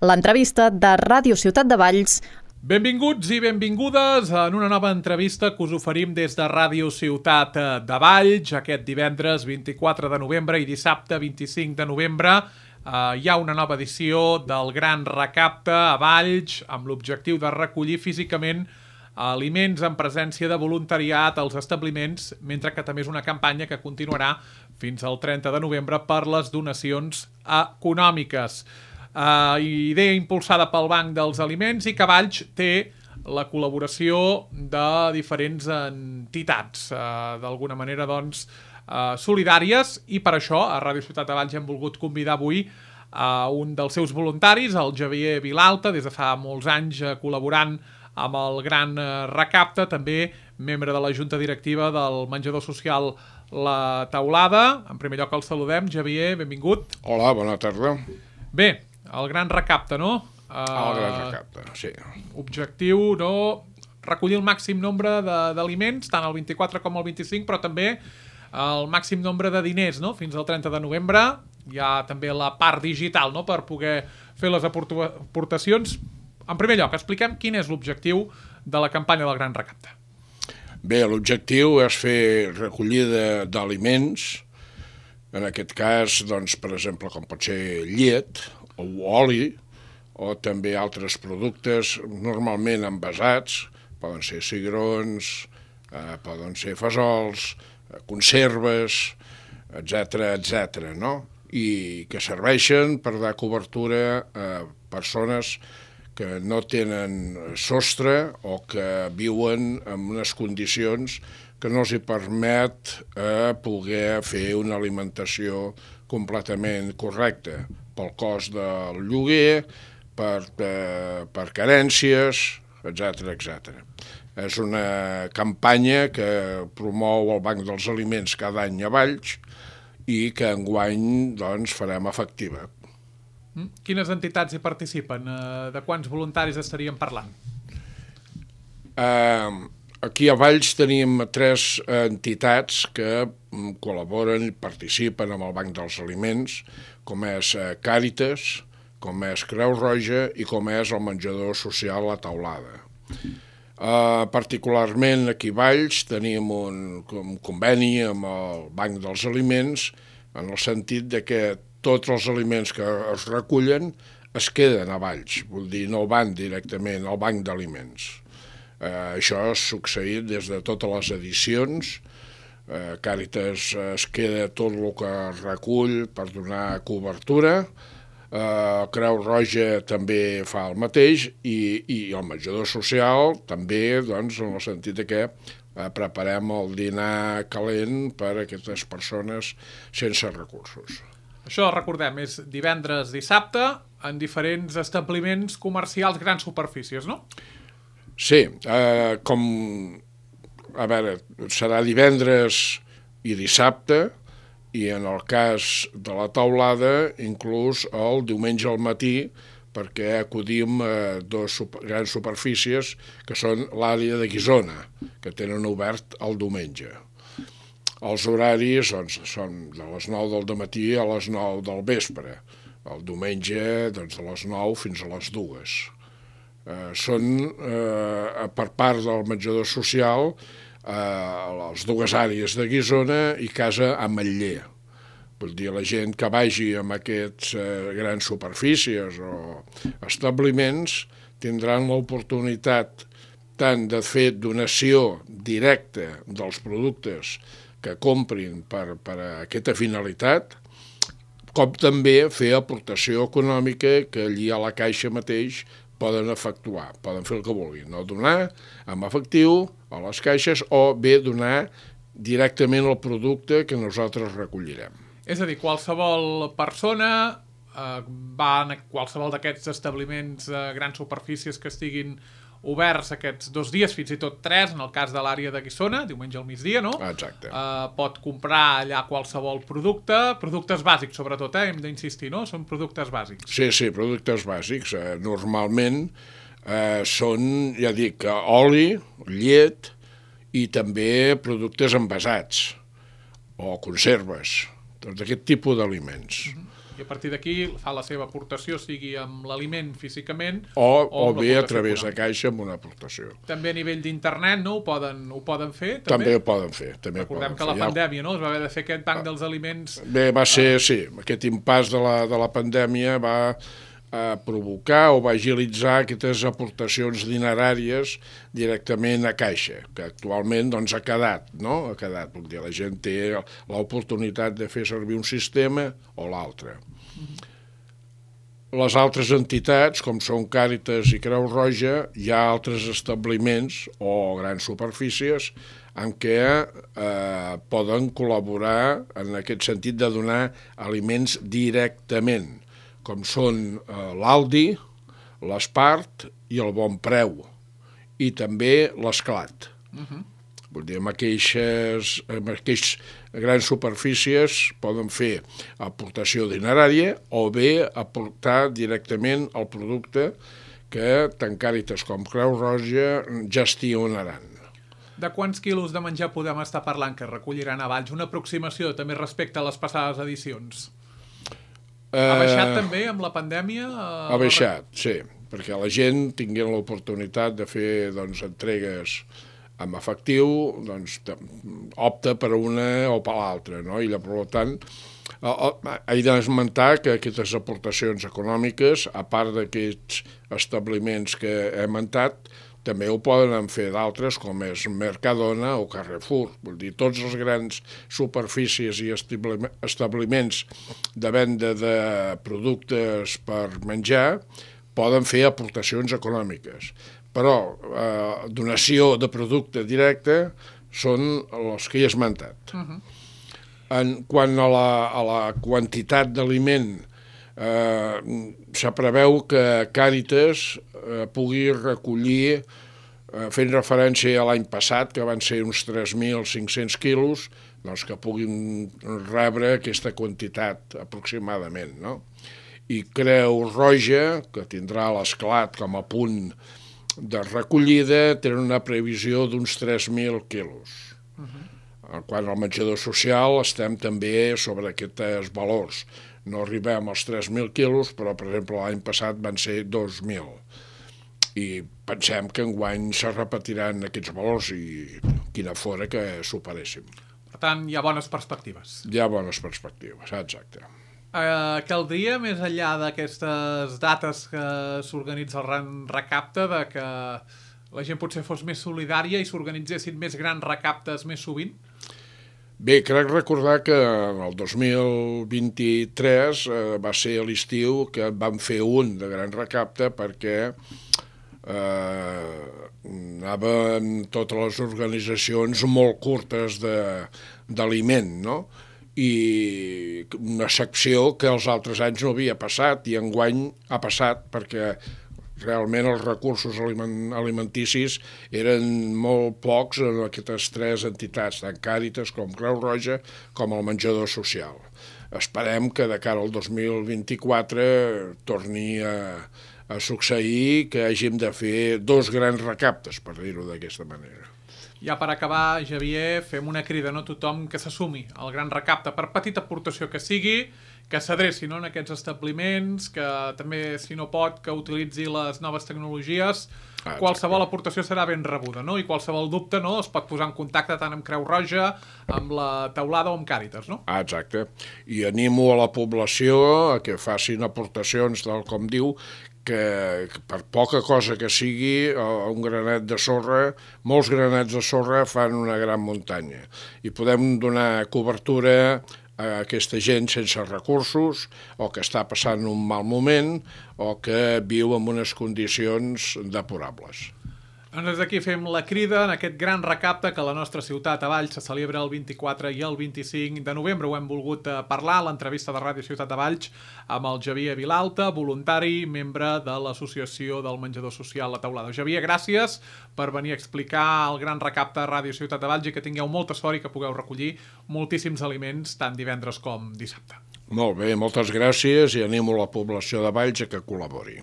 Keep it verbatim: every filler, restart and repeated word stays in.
L'entrevista de Ràdio Ciutat de Valls. Benvinguts i benvingudes en una nova entrevista que us oferim des de Ràdio Ciutat de Valls. Aquest divendres vint-i-quatre de novembre i dissabte vint-i-cinc de novembre eh, hi ha una nova edició del Gran Recapte a Valls amb l'objectiu de recollir físicament aliments en presència de voluntariat als establiments, mentre que també és una campanya que continuarà fins al trenta de novembre per les donacions econòmiques. Uh, idea impulsada pel Banc dels Aliments i que Valls té la col·laboració de diferents entitats, uh, d'alguna manera doncs, uh, solidàries, i per això a Ràdio Ciutat de Valls hem volgut convidar avui a uh, un dels seus voluntaris, el Xavier Vilalta, des de fa molts anys uh, col·laborant amb el Gran Recapte, també membre de la Junta Directiva del menjador social La Taulada. En primer lloc el saludem. Xavier, benvingut. Hola, bona tarda. Bé, el Gran Recapte, no? Uh, el Gran Recapte, sí. Objectiu, no? Recollir el màxim nombre d'aliments, tant el vint-i-quatre com el vint-i-cinc, però també el màxim nombre de diners, no? Fins al trenta de novembre. Hi ha també la part digital, no?, per poder fer les aportacions. En primer lloc, expliquem quin és l'objectiu de la campanya del Gran Recapte. Bé, l'objectiu és fer recollida d'aliments, en aquest cas, doncs, per exemple, com pot ser llet o oli, o també altres productes normalment envasats, poden ser cigrons, eh, poden ser fesols, eh, conserves, etcètera, etcètera, no? I que serveixen per dar cobertura a persones que no tenen sostre o que viuen en unes condicions que no els hi permet eh, poder fer una alimentació completament correcta pel cost del lloguer, per, eh, per carències, etcètera, etcètera. És una campanya que promou el Banc dels Aliments cada any a Valls i que enguany doncs, farem efectiva. Quines entitats hi participen? De quants voluntaris estaríem parlant? Uh, aquí a Valls tenim tres entitats que col·laboren i participen amb el Banc dels Aliments, com és Càritas, com és Creu Roja i com és el menjador social La Taulada. Uh, particularment aquí a Valls tenim un, un conveni amb el Banc dels Aliments en el sentit de que tots els aliments que es recullen es queden a Valls, vol dir, no van directament al Banc d'Aliments. Eh, això ha succeït des de totes les edicions. Eh, Càritas es queda tot el que recull per donar cobertura, eh, Creu Roja també fa el mateix i, i el menjador social també, doncs, en el sentit de que eh, preparem el dinar calent per a aquestes persones sense recursos. Això, recordem, és divendres, dissabte, en diferents establiments comercials, grans superfícies, no? Sí, eh, com, a veure, serà divendres i dissabte, i en el cas de La Taulada, inclús el diumenge al matí, perquè acudim a dues super, grans superfícies, que són l'àrea de Guissona, que tenen obert el diumenge. Els horaris doncs, són de les nou del dematí a les nou del vespre. El diumenge doncs, de les nou fins a les dues. Eh, són, eh, per part del menjador social, eh, les dues àrees de Guissona i Casa Ametller. Vull dir, la gent que vagi amb aquests eh, grans superfícies o establiments tindran l'oportunitat tant de fer donació directa dels productes que comprin per, per a aquesta finalitat, com també fer aportació econòmica que allí a la caixa mateix poden efectuar, poden fer el que vulguin, no donar amb efectiu a les caixes o bé donar directament el producte que nosaltres recollirem. És a dir, qualsevol persona eh, va a qualsevol d'aquests establiments, eh, grans superfícies que estiguin oberts aquests dos dies, fins i tot tres, en el cas de l'àrea de Guissona, diumenge al migdia, no? Exacte. Uh, pot comprar allà qualsevol producte, productes bàsics sobretot, eh? Hem d'insistir, no? Són productes bàsics. Sí, sí, productes bàsics. Eh, normalment eh, són, ja dic, oli, llet i també productes envasats o conserves, tot aquest tipus d'aliments. Uh-huh. I a partir d'aquí fa la seva aportació, sigui amb l'aliment físicament o, o, o bé a través de caixa amb una aportació. També a nivell d'internet, no? Ho poden, ho poden fer? També, també ho poden fer. També Recordem poden que la fer. pandèmia, no? Es va haver de fer aquest banc dels aliments... Bé, va ser, sí, aquest impàs de la, de la pandèmia va a provocar o va agilitzar aquestes aportacions dineràries directament a caixa, que actualment doncs, ha quedat, no? Ha quedat, vol dir, la gent té l'oportunitat de fer servir un sistema o l'altre. Mm-hmm. Les altres entitats, com són Càritas i Creu Roja, hi ha altres establiments o grans superfícies en què eh, poden col·laborar en aquest sentit de donar aliments directament, com són eh, l'Aldi, l'Espart i el Bon Preu, i també l'Esclat. Uh-huh. Vull dir, amb aquelles, amb aquelles grans superfícies poden fer aportació dinerària o bé aportar directament el producte que tant Càritas com Creu Roja gestionaran. De quants quilos de menjar podem estar parlant que recolliran a Valls? Una aproximació també respecte a les passades edicions. Ha baixat uh, també amb la pandèmia? Uh, ha baixat, sí, perquè la gent tinguin l'oportunitat de fer doncs, entregues amb efectiu, doncs, opta per una o per l'altra, no? I per tant, he d'esmentar que aquestes aportacions econòmiques, a part d'aquests establiments que he esmentat, també ho poden fer d'altres, com és Mercadona o Carrefour. Vull dir, tots els grans superfícies i establiments de venda de productes per menjar poden fer aportacions econòmiques. Però eh, donació de producte directe són els que he esmentat. Uh-huh. En quant a la, a la quantitat d'aliment, Eh, se preveu que Càritas eh, pugui recollir, eh, fent referència a l'any passat, que van ser uns tres mil cinc-cents quilos, doncs que puguin rebre aquesta quantitat aproximadament, no? I Creu Roja, que tindrà l'Esclat com a punt de recollida, tenen una previsió d'uns tres mil quilos. Uh-huh. Quan al menjador social estem també sobre aquests valors. No arribem als tres mil quilos, però, per exemple, l'any passat van ser dos mil. I pensem que enguany se repetiran aquests valors i quina fora que superéssim. Per tant, hi ha bones perspectives. Hi ha bones perspectives, exacte. Eh, caldria, més enllà d'aquestes dates que s'organitza el Gran Recapte, de que la gent potser fos més solidària i s'organitzessin més grans recaptes més sovint? Bé, crec recordar que el dos mil vint-i-tres eh, va ser a l'estiu que vam fer un de gran recapte perquè eh, anaven totes les organitzacions molt curtes d'aliment, no? I una secció que els altres anys no havia passat i enguany ha passat perquè realment els recursos alimenticis eren molt pocs en aquestes tres entitats, tant Càritas com Creu Roja com el menjador social. Esperem que de cara al dos mil vint-i-quatre torni a, a succeir que hàgim de fer dos grans recaptes, per dir-ho d'aquesta manera. Ja per acabar, Xavier, fem una crida no? A tothom que s'assumi al gran recapte, per petita aportació que sigui, que s'adreci no? En aquests establiments, que també, si no pot, que utilitzi les noves tecnologies. Ah, qualsevol aportació serà ben rebuda, no? I qualsevol dubte no? Es pot posar en contacte tant amb Creu Roja, amb la Teulada o amb Càritas, no? Ah, exacte. I animo a la població a que facin aportacions, tal com diu, que per poca cosa que sigui, un granet de sorra, molts granets de sorra fan una gran muntanya. I podem donar cobertura a aquesta gent sense recursos o que està passant un mal moment o que viu en unes condicions deplorables. Doncs des d'aquí fem la crida en aquest gran recapte que a la nostra ciutat, a Valls, se celebra el vint-i-quatre i el vint-i-cinc de novembre. Ho hem volgut parlar a l'entrevista de Ràdio Ciutat de Valls amb el Xavier Vilalta, voluntari, membre de l'Associació del Menjador Social La Teulada. Xavier, gràcies per venir a explicar el gran recapte a Ràdio Ciutat de Valls i que tingueu molta sort i que pugueu recollir moltíssims aliments tant divendres com dissabte. Molt bé, moltes gràcies i animo la població de Valls a que col·labori.